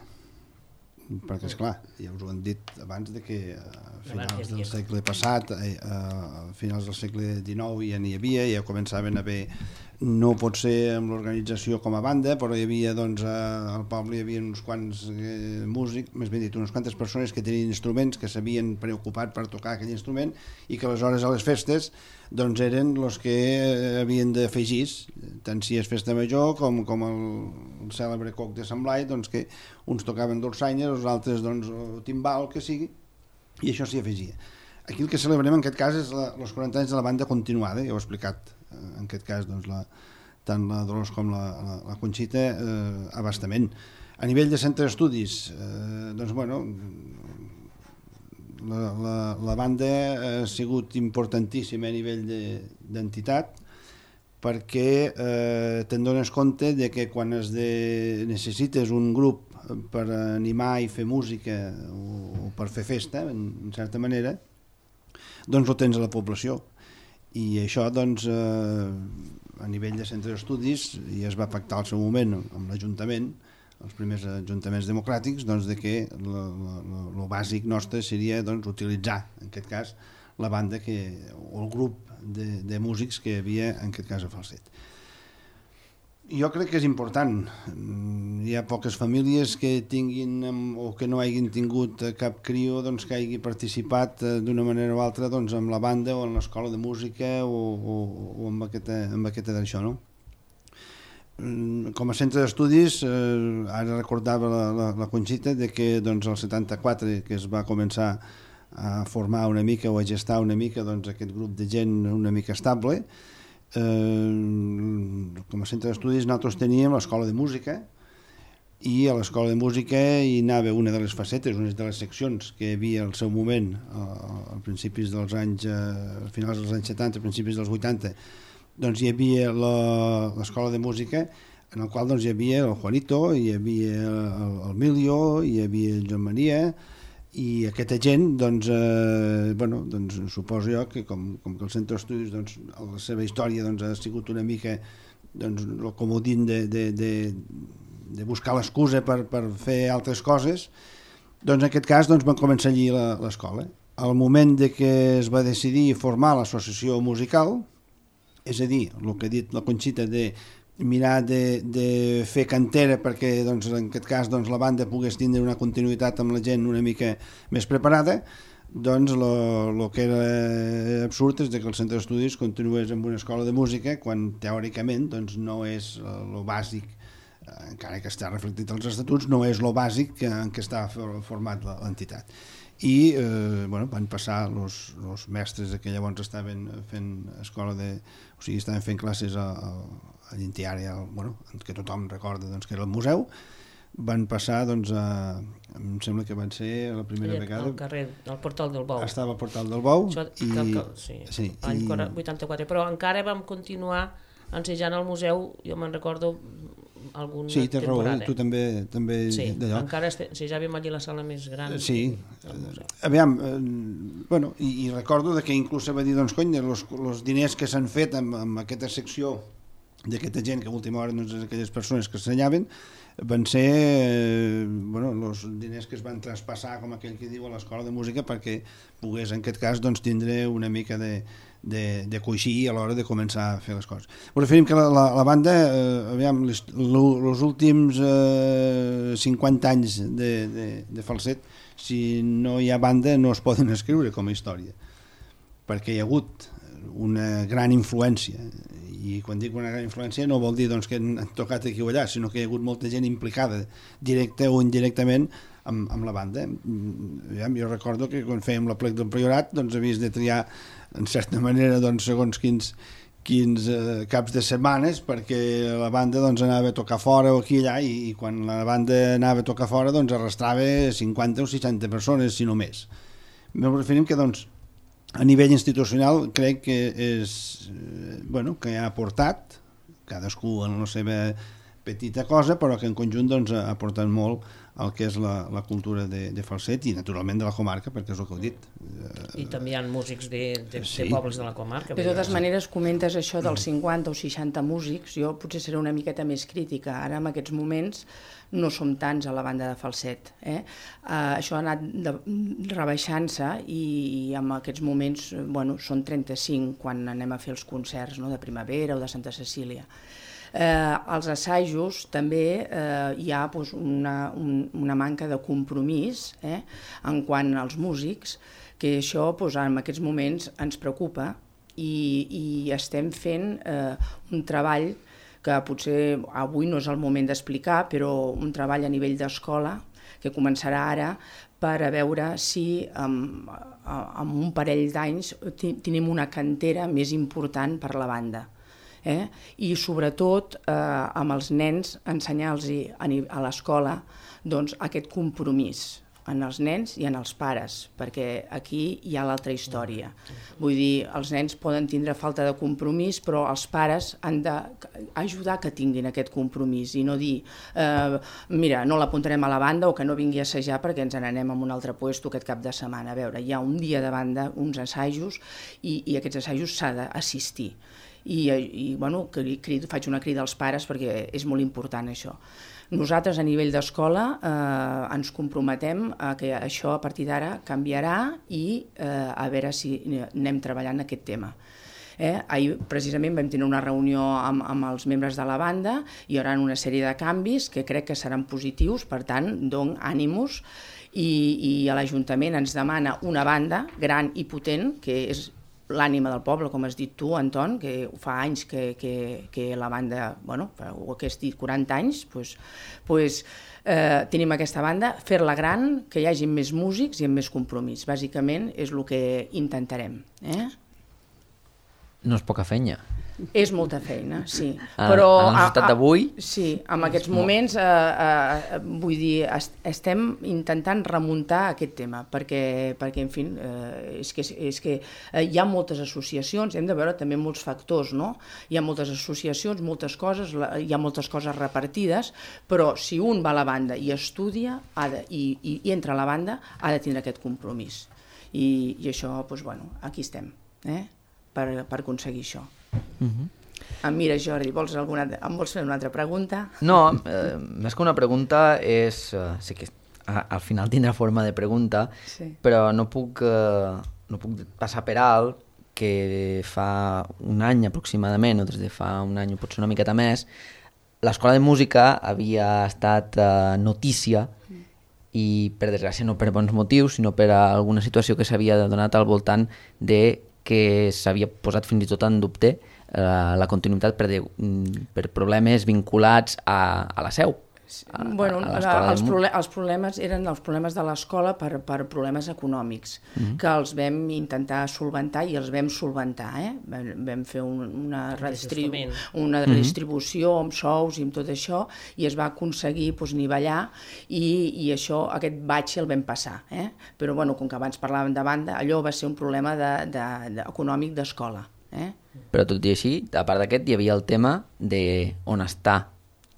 perquè esclar, ja us ho han dit abans de que a finals del segle passat, a finals del segle XIX ja n'hi havia, ja començaven a haver, no pot ser amb l'organització com a banda, però hi havia, doncs, al poble hi havia uns quants músics, més ben dit, unes quantes persones que tenien instruments, que s'havien preocupat per tocar aquell instrument i que aleshores a les festes doncs eren els que havien d'afegir, tant si és festa major com el cèlebre coc de Sant Blai, doncs que uns tocaven dolçaina, els altres doncs timbal, que sigui, i això s'hi afegia. Aquí el que celebrem en aquest cas és els 40 anys de la banda continuada, ja ho he explicat, en aquest cas doncs, tant la Dolors com la Conxita abastament. A nivell de centre d'estudis, doncs bueno, la banda ha sigut importantíssima a nivell d'entitat perquè te'n dones compte de que quan necessites un grup per animar i fer música o per fer festa, en certa manera, doncs ho tens a la població. I això, doncs, a nivell de centre d'estudis ja es va pactar al seu moment amb l'Ajuntament, els primers ajuntaments democràtics, doncs, de que el bàsic nostre seria doncs, utilitzar, en aquest cas, la banda o el grup de músics que hi havia, en aquest cas, a Falset. Jo crec que és important. Hi ha poques famílies que tinguin o que no hagin tingut cap crió doncs, que hagi participat d'una manera o altra doncs, amb la banda o en l'escola de música o amb aquesta d'això, no? Com a centre d'estudis, ara recordava la Conxita de que doncs, el 74 que es va començar a formar una mica o a gestar una mica doncs, aquest grup de gent una mica estable. Com a centre d'estudis nosaltres teníem l'escola de música i a l'escola de música hi anava una de les facetes, una de les seccions que hi havia al seu moment a principis dels anys, a finals dels anys 70, a principis dels 80, doncs hi havia l'escola de música en el qual doncs, hi havia el Juanito, hi havia el Milio, hi havia el Joan Maria i aquesta gent, doncs, doncs, suposo jo que com que el centre d'estudis, doncs, la seva història doncs, ha sigut una mica doncs, el comodín de buscar l'excusa per fer altres coses, doncs en aquest cas doncs, van començar allí l'escola. Al moment de que es va decidir formar l'associació musical, és a dir, el que ha dit la Conxita de mirar de fer cantera perquè doncs, en aquest cas doncs, la banda pogués tindre una continuïtat amb la gent una mica més preparada, doncs el que era absurd és que el centre d'estudis continués amb una escola de música quan teòricament doncs, no és el bàsic, encara que està reflectit als estatuts, no és el bàsic en què està format l'entitat. I van passar els mestres que llavors estaven fent escola o sigui, estaven fent classes a l'Intiària, que tothom recorda doncs, que era el museu, van passar doncs, em sembla que van ser la primera vegada al carrer, al Portal del Bou, estava al Portal del Bou l'any 84, però encara vam continuar ensejant al museu, jo me'n recordo alguna temporada. Sí, té raó, tu també sí, d'allò. Encara ensejàvem allí la sala més gran. Sí, aviam, i recordo que inclús se va dir, doncs, cony, els diners que s'han fet amb aquesta secció d'aquesta gent que a última hora doncs, aquelles persones que s'ensenyaven van ser els diners que es van traspassar, com aquell que diu, a l'escola de música perquè pogués en aquest cas doncs, tindre una mica de coixí a l'hora de començar a fer les coses. Us referim que la banda, aviam, els últims 50 anys de Falset, si no hi ha banda no es poden escriure com a història. perquè hi ha hagut una gran influència, i quan dic una gran influència no vol dir doncs, que han tocat aquí o allà, sinó que hi ha hagut molta gent implicada, directa o indirectament, amb la banda. Jo recordo que quan fèiem la plec del Priorat doncs havies de triar en certa manera doncs, segons quins caps de setmanes, perquè la banda doncs, anava a tocar fora o aquí i allà, i quan la banda anava a tocar fora doncs arrastrava 50 o 60 persones, si no més. Ens referim que doncs, a nivell institucional crec que és que ha aportat cadascú en la seva petita cosa, però que en conjunt doncs, ha aportat molt el que és la cultura de Falset i naturalment de la comarca, perquè és el que heu dit. I també hi ha músics de pobles de la comarca. De totes maneres, comentes això dels 50 o 60 músics, jo potser seré una miqueta més crítica. Ara, en aquests moments, no som tants a la banda de Falset. Això ha anat rebaixant-se i en aquests moments són 35 quan anem a fer els concerts de primavera o de Santa Cecília. Als assajos també hi ha una manca de compromís en quant als músics, que això en aquests moments ens preocupa i estem fent un treball que potser avui no és el moment d'explicar, però un treball a nivell d'escola que començarà ara per a veure si en un parell d'anys tenim una cantera més important per la banda. I sobretot amb els nens ensenyar-los a l'escola aquest compromís en els nens i en els pares, perquè aquí hi ha l'altra història. Vull dir, els nens poden tindre falta de compromís, però els pares han d'ajudar que tinguin aquest compromís i no dir, mira, no l'apuntarem a la banda o que no vingui a assajar perquè ens n'anem a un altre puesto aquest cap de setmana. A veure, hi ha un dia de banda, uns assajos, i aquests assajos s'ha d'assistir. I faig una crida als pares perquè és molt important això. Nosaltres a nivell d'escola ens comprometem a que això a partir d'ara canviarà i a veure si anem treballant aquest tema. Ahir precisament vam tenir una reunió amb els membres de la banda i hi haurà una sèrie de canvis que crec que seran positius, per tant, dono ànimos, i l'Ajuntament ens demana una banda gran i potent, que és l'ànima del poble, com has dit tu, Anton, que fa anys que la banda, o que has dit 40 anys, tenim aquesta banda, fer-la gran, que hi hagi més músics i amb més compromís. Bàsicament és el que intentarem. No és poca feina. És molta feina, sí. Però en la societat d'avui... Sí, en aquests moments, vull dir, estem intentant remuntar aquest tema, perquè en fi, és que hi ha moltes associacions, hem de veure també molts factors, no? Hi ha moltes associacions, moltes coses, hi ha moltes coses repartides, però si un va a la banda i estudia i entra a la banda, ha de tindre aquest compromís. I això, aquí estem, per aconseguir això. Mira, Jordi, em vols fer una altra pregunta? No, més que una pregunta és... Sí que al final tindrà forma de pregunta, però no puc passar per alt que fa un any aproximadament, o des de fa un any o potser una miqueta més, l'Escola de Música havia estat notícia i, per desgràcia, no per bons motius, sinó per alguna situació que s'havia donat al voltant de que s'havia posat fins i tot en dubte la continuïtat per problemes vinculats a la seu. Els problemes eren els problemes de l'escola per problemes econòmics, que els vam intentar solventar i els vam solventar. Vam fer una redistribució amb sous i amb tot això i es va aconseguir nivellar i aquest batxe el vam passar. Però com que abans parlàvem de banda, allò va ser un problema econòmic d'escola. Però tot i així, a part d'aquest, hi havia el tema d'on està,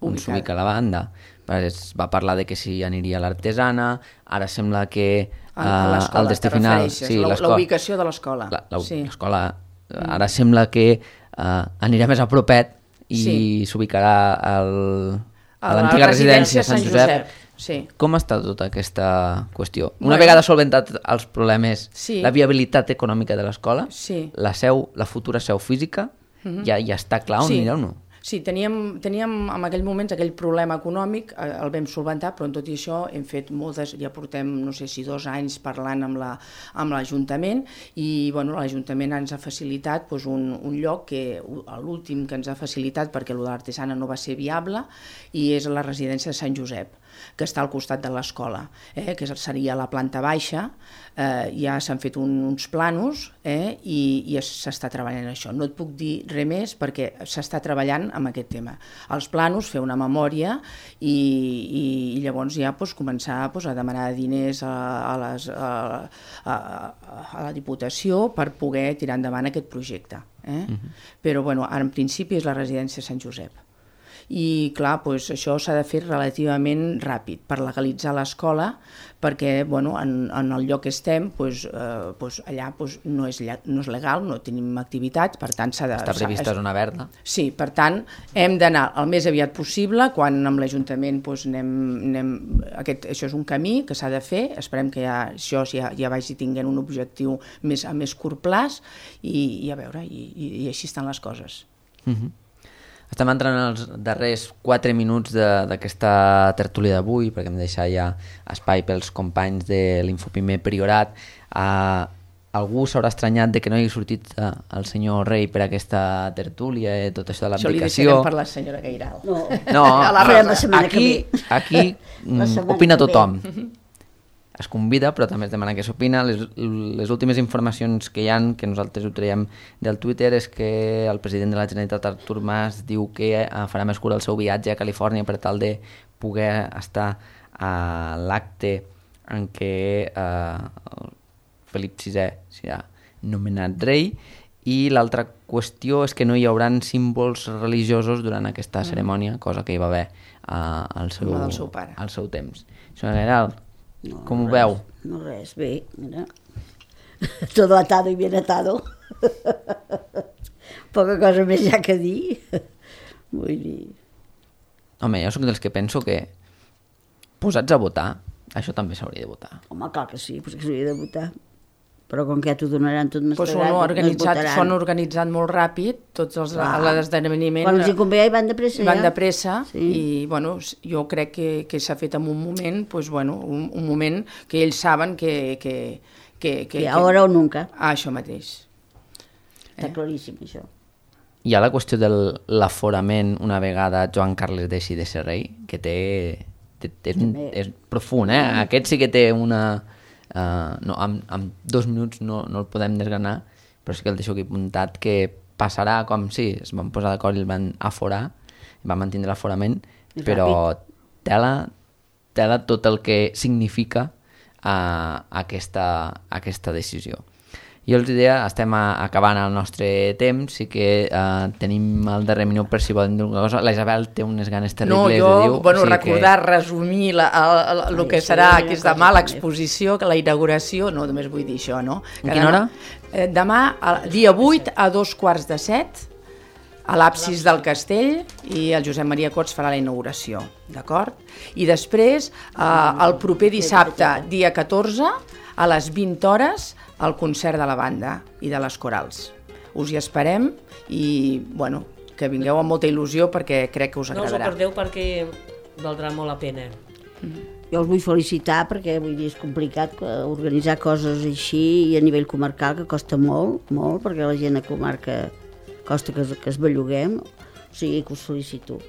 on s'ubica la banda. Es va parlar de que si aniria a l'Artesana, ara sembla que al destí final... La ubicació de l'escola. L'escola, ara sembla que anirà més a propet i s'ubicarà a l'antiga residència Sant Josep. Com està tota aquesta qüestió? Una vegada solventat els problemes, la viabilitat econòmica de l'escola, la futura seu física, ja està clar on anirà o no? Sí, teníem en aquell moment aquell problema econòmic, el vam solventar, però en tot i això hem fet moltes, ja portem, no sé si 2 anys parlant amb l'Ajuntament i l'Ajuntament ens ha facilitat un lloc que l'últim que ens ha facilitat perquè el de l'Artesana no va ser viable i és la residència de Sant Josep, que està al costat de l'escola, que seria la planta baixa. Ja s'han fet uns planos i s'està treballant en això. No et puc dir res més perquè s'està treballant amb aquest tema. Els planos, fer una memòria i llavors ja començar a demanar diners a la Diputació per poder tirar endavant aquest projecte. Però ara en principi és la residència Sant Josep. I clar, això s'ha de fer relativament ràpid per legalitzar l'escola perquè en el lloc que estem allà no és legal, no tenim activitats, per tant s'ha de... Està prevista zona verda. Sí, per tant hem d'anar el més aviat possible, quan amb l'Ajuntament això és un camí que s'ha de fer, esperem que això ja vagi tinguent un objectiu a més curt plaç i a veure, i així estan les coses. Estem entrant als darrers 4 minuts d'aquesta tertúlia d'avui, perquè hem de deixar ja espai pels companys de l'Infoprimer Priorat. Algú s'haurà estranyat de que no hi hagi sortit el senyor Rei per aquesta tertúlia, tot això de l'aplicació. Això li deixarem per la senyora Gairal. No, aquí opina tothom. Es convida, però també es demana que s'opina. Les últimes informacions que hi ha, que nosaltres ho traiem del Twitter, és que el president de la Generalitat, Artur Mas, diu que farà més cura el seu viatge a Califòrnia per tal de poder estar a l'acte en què Felip VI serà nomenat rei, i l'altra qüestió és que no hi haurà símbols religiosos durant aquesta cerimònia, cosa que hi va haver al seu temps. Senyora Gairal, com ho veu? No res, bé, mira. Todo atado y bien atado. Poca cosa més ja que dir. Vull dir... Home, jo soc dels que penso que posats a votar, això també s'hauria de votar. Home, clar que sí, perquè s'hauria de votar. Però com que ja t'ho donaran tot mastegrat, s'ho han organitzat molt ràpid, tots l'esdeveniments. Quan els hi convé ja van de pressa. Van de pressa, i jo crec que s'ha fet en un moment, un moment que ells saben que ahora o nunca. Això mateix. Està claríssim, això. Hi ha la qüestió de l'aforament una vegada Joan Carles deixi de ser rei, que és profund, Aquest sí que té una... amb 2 minuts no el podem desgranar, però sí que el deixo aquí apuntat, que passarà com si es van posar d'acord i el van aforar, van mantindre l'aforament, però tela tot el que significa aquesta decisió. Jo els deia, estem acabant el nostre temps, sí que tenim el darrer minut per si volen dir alguna cosa. La Isabel té unes ganes terribles de dir... Recordar, resumir el que serà demà, l'exposició, la inauguració, no, només vull dir això, no? A quina hora? Demà, dia 8 a 2:15, a l'absis del castell, i el Josep Maria Cots farà la inauguració, d'acord? I després, el proper dissabte, dia 14, a les 20 hores, el concert de la banda i de les corals. Us hi esperem i, que vingueu amb molta il·lusió perquè crec que us agradarà. No us ho perdeu perquè valdrà molt la pena. Jo us vull felicitar perquè és complicat organitzar coses així i a nivell comarcal, que costa molt, perquè la gent a comarca costa que es belluguem, o sigui que us felicito.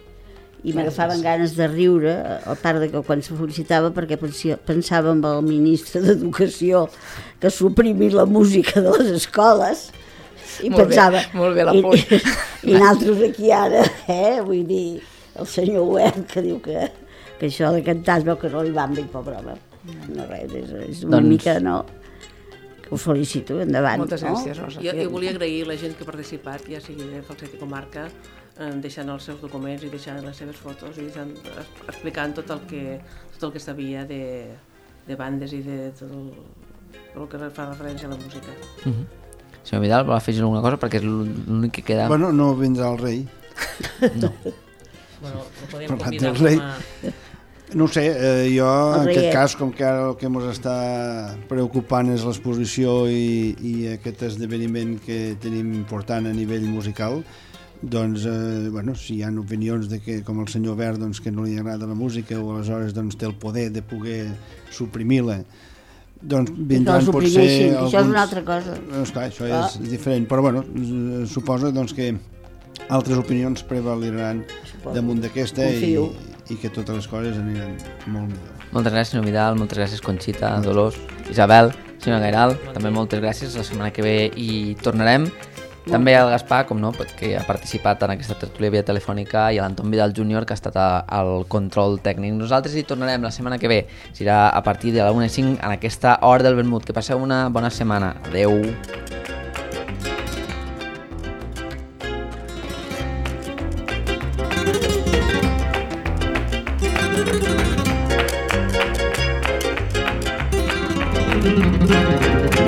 I m'agafaven ganes de riure, a part de que quan se felicitava, perquè pensava en el ministre d'Educació que suprimís la música de les escoles, i pensava... Molt bé l'apunt. I nosaltres aquí ara, vull dir, el senyor Huert, que diu que això de cantar es veu que no li van bé, pobre home. No res, és una mica, no? Que us felicito, endavant. Moltes gràcies, Rosa. Jo volia agrair la gent que ha participat, ja sigui de Falset i Comarca, deixant els seus documents i deixant les seves fotos i explicant tot el que sabia de bandes i de tot el que fa referència a la música. Senyor Vidal, vol afegir alguna cosa? Perquè és l'únic que queda... Bueno, no vindrà el rei. No. Bueno, el podem convidar com a... No ho sé, jo en aquest cas, com que ara el que ens està preocupant és l'exposició i aquest esdeveniment que tenim important a nivell musical, doncs, bueno, si hi ha opinions de que, com el senyor Verd, doncs, que no li agrada la música o aleshores doncs, té el poder de poder suprimir-la, doncs vindran potser alguns... Això és una altra cosa. Esclar, això és diferent, però bueno, suposa doncs, que altres opinions prevaliran damunt d'aquesta i que totes les coses aniran molt millor. Moltes gràcies, senyor Vidal, moltes gràcies, Conxita, Dolors, Isabel, senyor Gairal, també moltes gràcies. La setmana que ve hi tornarem. També al Gaspar, com no, que ha participat en aquesta tertúlia via telefònica, i a l'Anton Vidal Júnior, que ha estat al control tècnic. Nosaltres hi tornarem la setmana que ve, serà a partir de la 1:05 en aquesta hora del vermut. Que passeu una bona setmana. Adeu. Thank you.